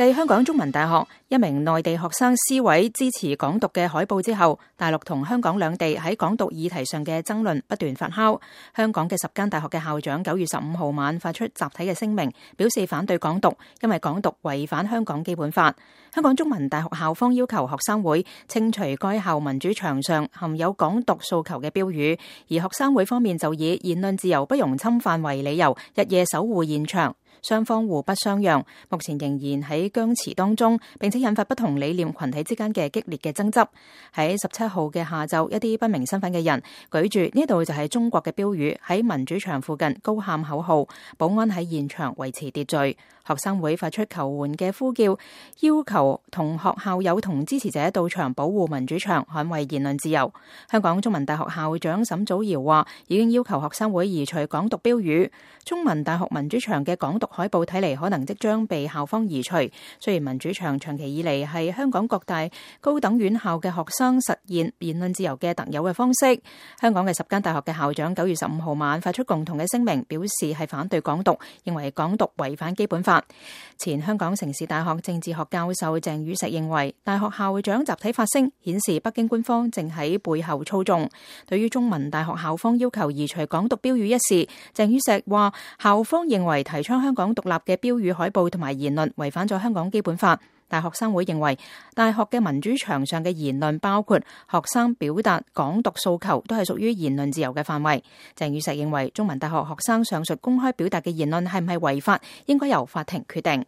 繼香港中文大學一名內地學生撕毀支持港獨嘅海報之後，大陸同香港兩地喺港獨議題上嘅爭論不斷發酵。香港嘅10間大學嘅校長9月15號晚發出集體嘅聲明，表示反對港獨，因為港獨違反香港基本法。香港中文大學校方要求學生會清除該校民主牆上含有港獨訴求嘅標語，而學生會方面就以言論自由不容侵犯為理由，日夜守護現場。雙方互不相讓，目前仍然喺僵持當中，並且引發不同理念群體之間嘅激烈嘅爭執。喺17號嘅下晝，一啲不明身份嘅人舉住呢度就係中國嘅標語，喺民主牆附近高喊口號，保安喺現場維持秩序。學生會發出求援嘅呼叫，要求同學校友同支持者到場保護民主牆，捍衛言論自由。香港中文大學校長沈祖堯話，已經要求學生會移除港獨標語。中文大學民主牆嘅港獨海報睇嚟可能即將被校方移除。雖然民主牆長期以嚟係香港各大高等院校嘅學生實現言論自由嘅特有嘅方式，香港嘅10間大學嘅校長9月15號晚發出共同嘅聲明，表示係反對港獨，認為港獨違反基本法。前香港城市大學政治學教授鄭宇碩認為，大學校長集體發聲顯示北京官方正喺背後操縱。對於中文大學校方要求移除港獨標語一事，鄭宇碩話校方認為提倡香港獨立嘅標語海報同埋言論違反咗香港基本法。大學生會認為大學嘅民主牆上嘅言論，包括學生表達港獨訴求，都係屬於言論自由嘅範圍。鄭宇碩認為中文大學學生上述公開表達嘅言論係唔係違法，應該由法庭決定。